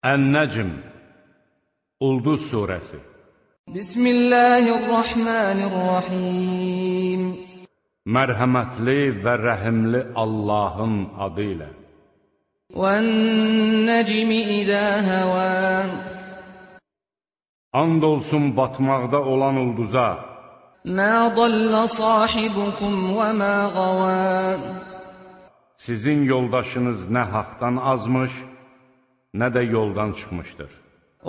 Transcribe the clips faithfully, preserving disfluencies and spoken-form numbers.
Ən-Nəcm Ulduz surəsi. Bismillahirrahmanirrahim. Mərhəmətli və rəhimli Allahın adı ilə. Vən-Nəcmi izə həvə. And olsun batmaqda olan ulduza. Mə dallə sahibukum və mə qavə. Sizin yoldaşınız nə haqdan azmış, nə də yoldan çıxmışdır.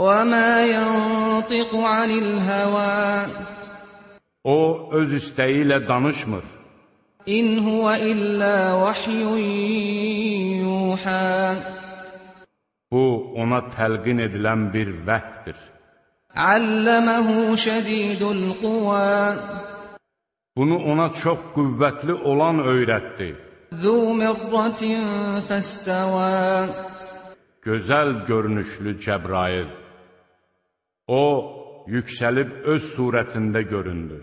وَمَا يَنْطِقُ عَنِ الْهَوَى. O, öz istəyi ilə danışmır. İn huve illâ vahyun yuhâ. Bu, ona təlqin edilən bir vəhdir. Alləməhu şədidul quvā. Bunu ona çox qüvvətli olan öyrətdi. Zû mirratin fəstəvā. Gözəl görünüşlü Cəbrail. O, yüksəlib öz surətində göründü.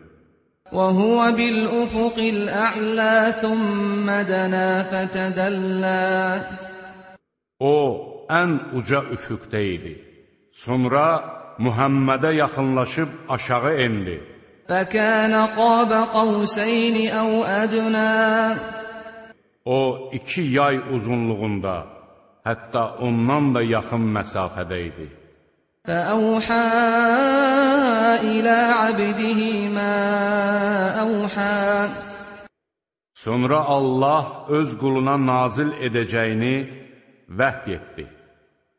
وَهُوَ بِالْأُفُقِ الْأَعْلَى ثُمَّ دَنَا فَتَدَلَّى. O, ən uca üfüqdə idi. Sonra Muhammədə yaxınlaşıb aşağı endi. فَكَانَ قَابَ قَوْسَيْنِ أَوْ أَدْنَى. O, iki yay uzunluğunda, hətta ondan da yaxın məsafədə idi. فَأَوْحَى إِلَى عَبْدِهِ مَا أَوْحَى. Sonra Allah öz quluna nazil edəcəyini vəhy etdi.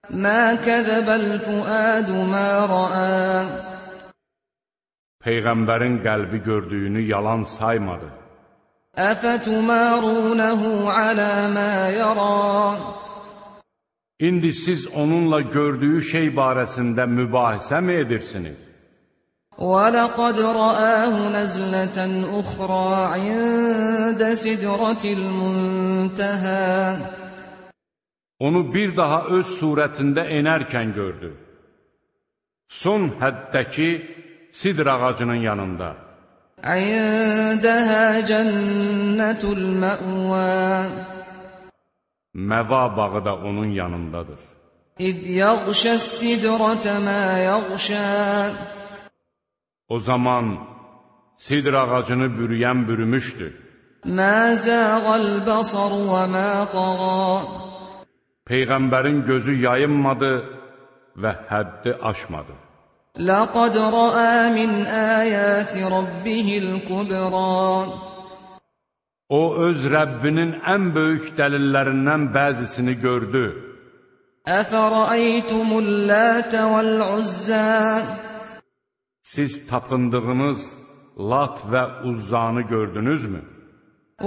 مَا كَذَبَ الْفُؤَادُ مَا رَأَى. Peyğəmbərin qəlbi gördüyünü yalan saymadı. أَفَتُمَارُونَهُ عَلَى مَا يَرَى. İndi siz onunla gördüyü şey barəsində mübahisə mi edirsiniz? وَلَقَدْ رَآهُ نَزْلَةً أُخْرَى عِندَ سِدْرَةِ الْمُنْتَهَى. Onu bir daha öz surətində enərkən gördü. Son həddəki sidr ağacının yanında. عِندَهَا جَنَّةُ الْمَأْوَى. Məva bağı da onun yanındadır. İz yağşəs sidrate mə yağşə. O zaman sidr ağacını bürüyən bürümüşdü. Mə zəğəl bəsar və mə təğə. Peyğəmbərin gözü yayınmadı və həddi aşmadı. Ləqəd rəə min əyəti rabbihil kübrə. O, öz Rəbbinin ən böyük dəlillərindən bəzisini gördü. Əfərəytumul lətə vəl-uzzə. Siz tapındığınız Lat və Uzzanı gördünüzmü?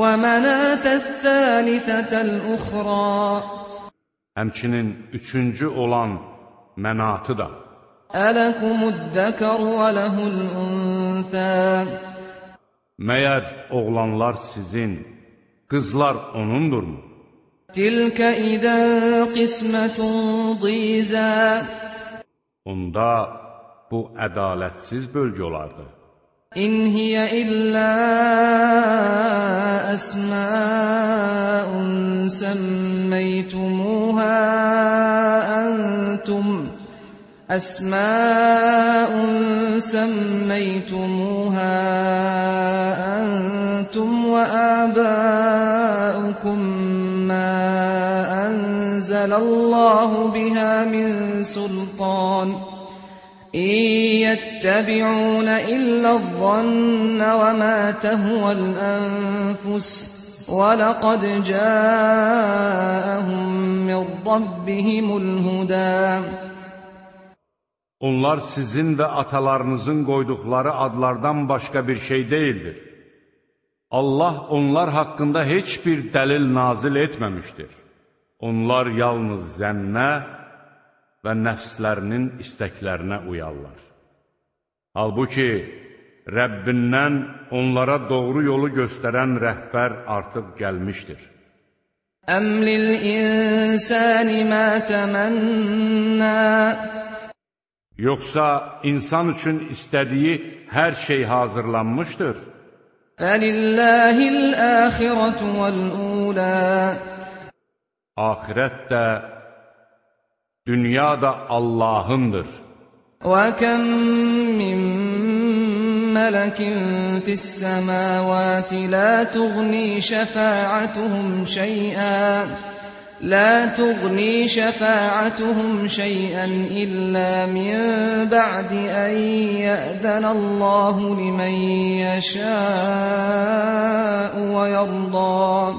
Və mənətəl-thəlithətəl-uxra. Həmçinin üçüncü olan Mənatı da. Ələkumud-zəkər və ləhul-unthə. Məyər oğlanlar sizin, qızlar onundurmu? Tilkə idən qismətun dizə. Onda bu ədalətsiz bölgü olardı. İn hiyə illə əsməun səmməytumuhə əntum. أسماء سميتموها أنتم وآباؤكم ما أنزل الله بها من سلطان إن يتبعون إلا الظن وما تهوى الأنفس وَلَقَدْ جَاءَهُمْ مِنْ رَبِّهِمُ الْهُدَى. Onlar sizin və atalarınızın qoyduqları adlardan başqa bir şey deyildir. Allah onlar haqqında heç bir dəlil nazil etməmişdir. Onlar yalnız zənnə və nəfslərinin istəklərinə uyarlar. Halbuki, Rəbbindən onlara doğru yolu göstərən rəhbər artıq gəlmişdir. Əm lil-insani mə təmənnə. Yoxsa insan üçün istədiyi hər şey hazırlanmışdır. Fəlilləhil-əxirətu vəl-ulə. Axirət də, Dünya da Allahındır. وَكَمْ مِنْ مَلَكٍ فِي السَّمَاوَاتِ لَا تُغْنِي شَفَاعَتُهُمْ شَيْئًا لا تغني شفاعتهم شيئا إلا من بعد أن يأذن الله لمن يشاء ويرضى.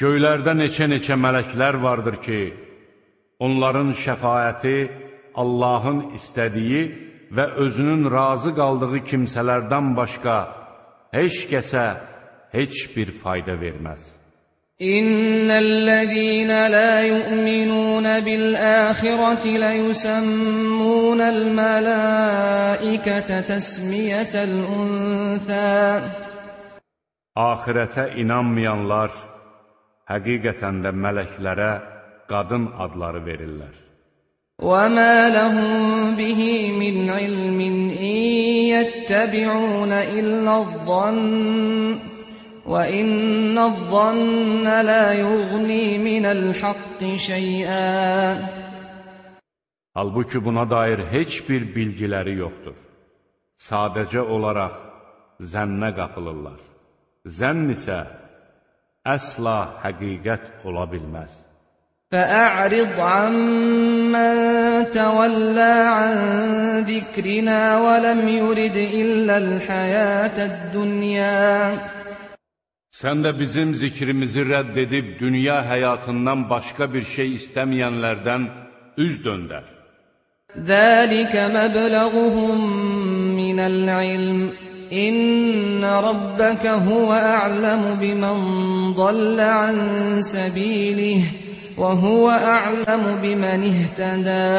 Göylərdə neçə-neçə mələklər vardır ki, onların şəfaəti Allahın istədiyi və özünün razı qaldığı kimsələrdən başqa heç kəsə heç bir fayda verməz. إن الذين لا يؤمنون بالآخرة ليسمون الملائكة تسمية الأنثى. Ahirətə inanmayanlar həqiqətən də mələklərə qadın adları verirlər. وَمَا لَهُم بِهِ مِنْ عِلْمٍ إِنْ يَتَّبِعُونَ إِلَّا الظَّنَّ وَإِنَّ الظَّنَّ لَا يُغْنِي مِنَ الْحَقِّ شَيْئًا. Halbuki buna dair heç bir bilgiləri yoxdur. Sadəcə olaraq zənnə qapılırlar. Zənn isə əsla həqiqət ola bilməz. فَأَعْرِضْ عَمَّنْ تَوَلَّى عَنْ ذِكْرِنَا وَلَمْ يُرِدْ إِلَّا الْحَيَاةَ الدُّنْيَا. Sən də bizim zikrimizi rədd edib dünya həyatından başqa bir şey istəməyənlərdən üz döndər. ذَلِكَ مَبْلَغُهُمْ مِنَ الْعِلْمِ إِنَّ رَبَّكَ هُوَ أَعْلَمُ بِمَنْ ضَلَّ عَنْ سَبِيلِهِ وَهُوَ أَعْلَمُ بِمَنِ اهْتَدَى.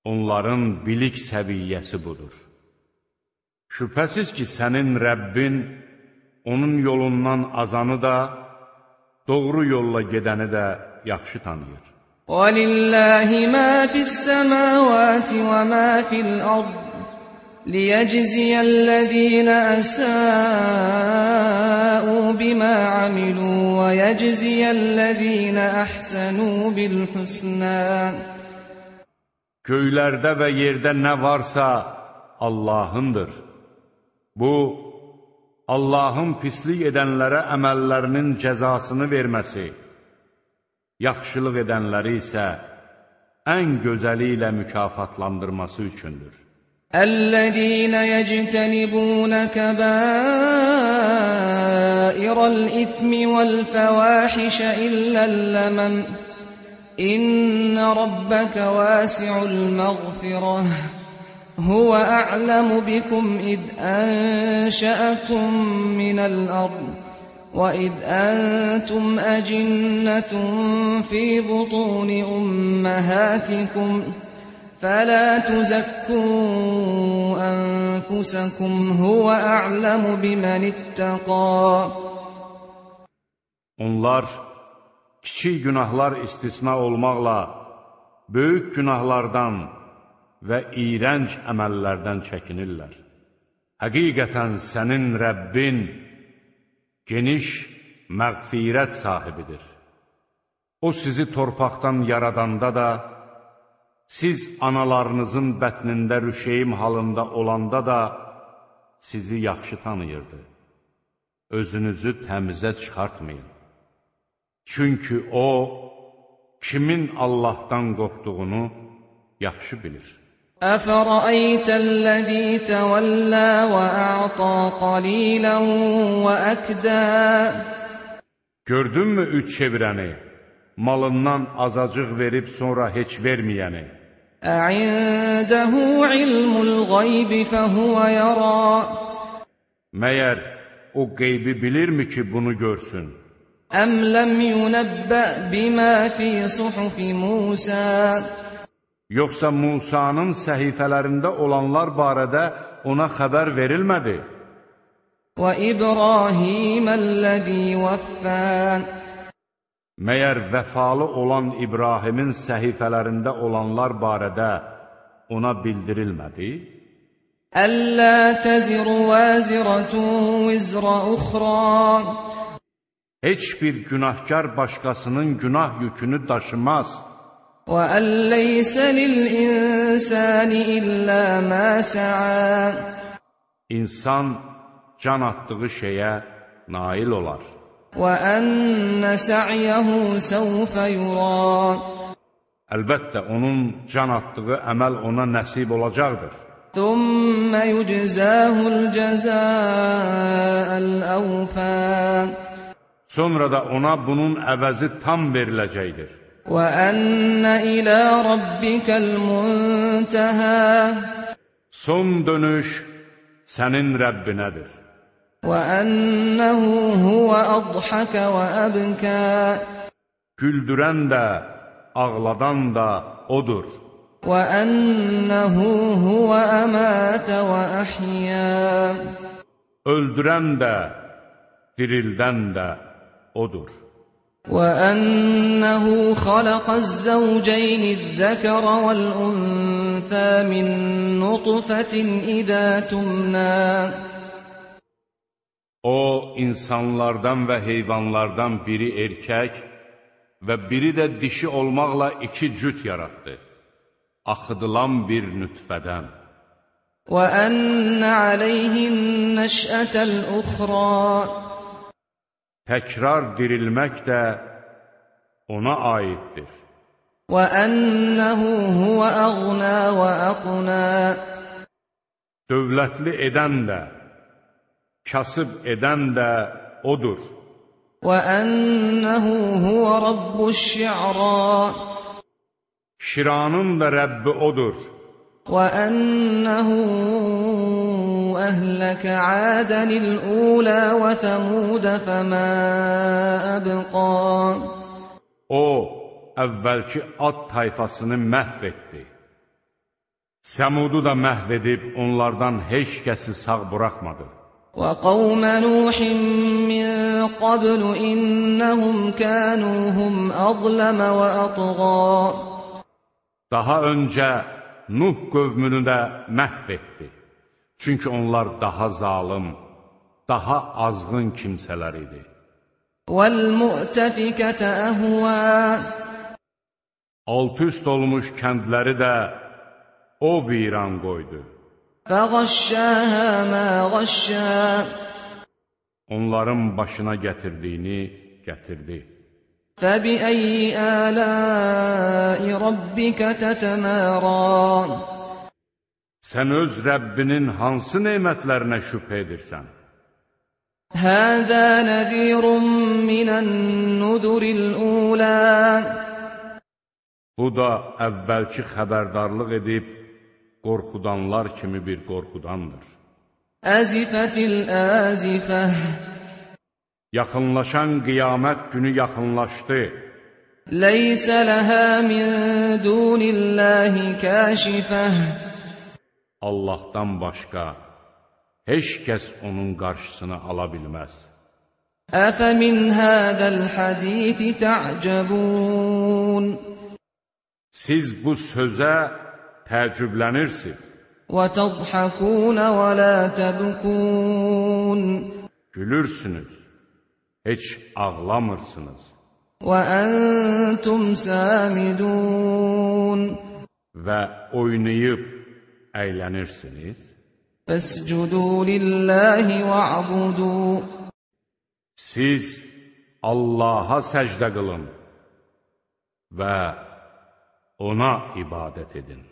Onların bilik səviyyəsi budur. Şübhəsiz ki, sənin Rəbbin onun yolundan azanı da, doğru yolla gedəni də yaxşı tanıyır. وَلِلَّهِ مَا فِي السَّمَاوَاتِ وَمَا فِي الْأَرْضِ لِيَجْزِيَ الَّذِينَ أَسَاءُوا بِمَا عَمِلُوا وَيَجْزِيَ الَّذِينَ أَحْسَنُوا بِالْحُسْنَى. Göylərdə və yerdə nə varsa Allahındır. Bu, Allahın pislik edənlərə əməllərinin cəzasını verməsi, yaxşılıq edənləri isə ən gözəli ilə mükafatlandırması üçündür. الَّذِينَ يَجْتَنِبُونَ كَبَائِرَ الْإِثْمِ وَالْفَوَاحِشَ إِلَّا اللَّمَمَ إِنَّ رَبَّكَ وَاسِعُ الْمَغْفِرَةِ هُوَ أَعْلَمُ بِكُمْ إِذْ أَنشَأَكُم مِّنَ الْأَرْضِ وَإِذْ أَنتُمْ أَجِنَّةٌ فِي بُطُونِ أُمَّهَاتِكُمْ فَلَا تُزَكُّوا أَنفُسَكُمْ هُوَ أَعْلَمُ بِمَنِ اتَّقَى. Onlar kiçik günahlar istisna olmaqla böyük günahlardan və iyrənc əməllərdən çəkinirlər. Həqiqətən sənin Rəbbin geniş məğfirət sahibidir. O sizi torpaqdan yaradanda da, siz analarınızın bətnində rüşeyim halında olanda da sizi yaxşı tanıyırdı. Özünüzü təmizə çıxartmayın. Çünki O, kimin Allahdan qorxduğunu yaxşı bilir. أَفَرَأَيْتَ الَّذِي تَوَلَّى وَأَعْطَى قَلِيلًا وَأَكْدَى. Gördünmü üç çevirəni, malından azacıq verib sonra heç verməyəni? أَعِندَهُ عِلْمُ الْغَيْبِ فَهُوَ يَرَى. Məyər o qeybi bilirmi ki, bunu görsün? أَمْ لَمْ يُنَبَّأْ بِمَا فِي صُحُفِ مُوسَى. Yoxsa Musanın səhifələrində olanlar barədə ona xəbər verilmədi? وَإِبْرَاهِيمَ الَّذِي وَفَّى. Məyər vəfalı olan İbrahimin səhifələrində olanlar barədə ona bildirilmədi? أَلَّا تَزِرُ وَازِرَةٌ وِزْرَ أُخْرَى. Heç bir günahkar başqasının günah yükünü daşımaz. وَأَنْ لَيْسَ لِلْإِنسَانِ إِلَّا مَا سَعَى İnsan can atdığı şeyə nail olar. وَأَنَّ سَعْيَهُ سَوْفَ يُرَى Əlbəttə, onun can atdığı əməl ona nəsib olacaqdır. ثُمَّ يُجْزَاهُ الْجَزَاءَ الْأَوْفَى Sonra da ona bunun əvəzi tam veriləcəkdir. وَأَنَّ إِلَى رَبِّكَ الْمُنْتَهَى Son dönüş sənin Rəbbinədir. وَأَنَّهُ هُوَ أَضْحَكَ وَأَبْكَى Güldürən də, ağladan da O'dur. وَأَنَّهُ هُوَ أَمَاتَ وَأَحْيَا Öldürən də, dirildən də O'dur. وَأَنَّهُ خَلَقَ الزَّوْجَيْنِ الذَّكَرَ وَالْأُنثَى مِنْ نُطْفَةٍ إِذَا تُمْنَى O, insanlardan və heyvanlardan biri erkək və biri də dişi olmaqla iki cüt yaratdı, axıdılan bir nütfədən. وَأَنَّ عَلَيْهِ النَّشْأَةَ الْأُخْرَى Təkrar dirilmək də ona aiddir. وَأَنَّهُ هُوَ أَغْنَى وَأَقْنَى Dövlətli edən də, kasıb edən də O'dur. وَأَنَّهُ هُوَ رَبُّ الشِّعْرَى Şiranın da Rəbbi O'dur. وَأَنَّهُ أَهْلَكَ عَادًا الْأُولَى وَثَمُودَ فَمَا أَبْقَى O, əvvəlki Ad tayfasını məhv etdi. Səmudu da məhv edib onlardan heç kəsi sağ buraxmadı. وَقَوْمَ نُوحٍ مِّن قَبْلُ إِنَّهُمْ كَانُوا هُمْ أَظْلَمَ وَأَطْغَى Daha öncə Nuh qövmünü də məhv etdi. Çünki onlar daha zalım, daha azğın kimsələr idi. وَالْمُؤْتَفِكَةَ أَهْوَى Alt-üst olmuş kəndləri də o viran qoydu. فَغَشَّاهَا مَا غَشَّى Onların başına gətirdiyini gətirdi. فَبِأَيِّ آلَاءِ رَبِّكَ تَتَمَارَى Sən öz Rəbbinin hansı nemətlərinə şübhə edirsən? هَذَا نَذِيرٌ مِّنَ النُّذُرِ الْأُولَى Bu da əvvəlki xəbərdarlıq edib qorxudanlar kimi bir qorxudandır. أَزِفَتِ الْآزِفَةُ Yaxınlaşan qiyamət günü yaxınlaşdı. لَيْسَ لَهَا مِن دُونِ اللَّهِ كَاشِفَةٌ Allahdan başqa heç kəs onun qarşısını ala bilməz. أَفَمِنْ هَذَا الْحَدِيثِ تَعْجَبُونَ Siz bu sözə təəccüblənirsiniz. وَتَضْحَكُونَ وَلَا تَبْكُونَ Gülürsünüz, heç ağlamırsınız. وَأَنْتُمْ سَامِدُونَ Və oynayıb əylənirsiniz. فَاسْجُدُوا لِلَّهِ وَاعْبُدُوا Siz Allaha səcdə qılın və ona ibadət edin.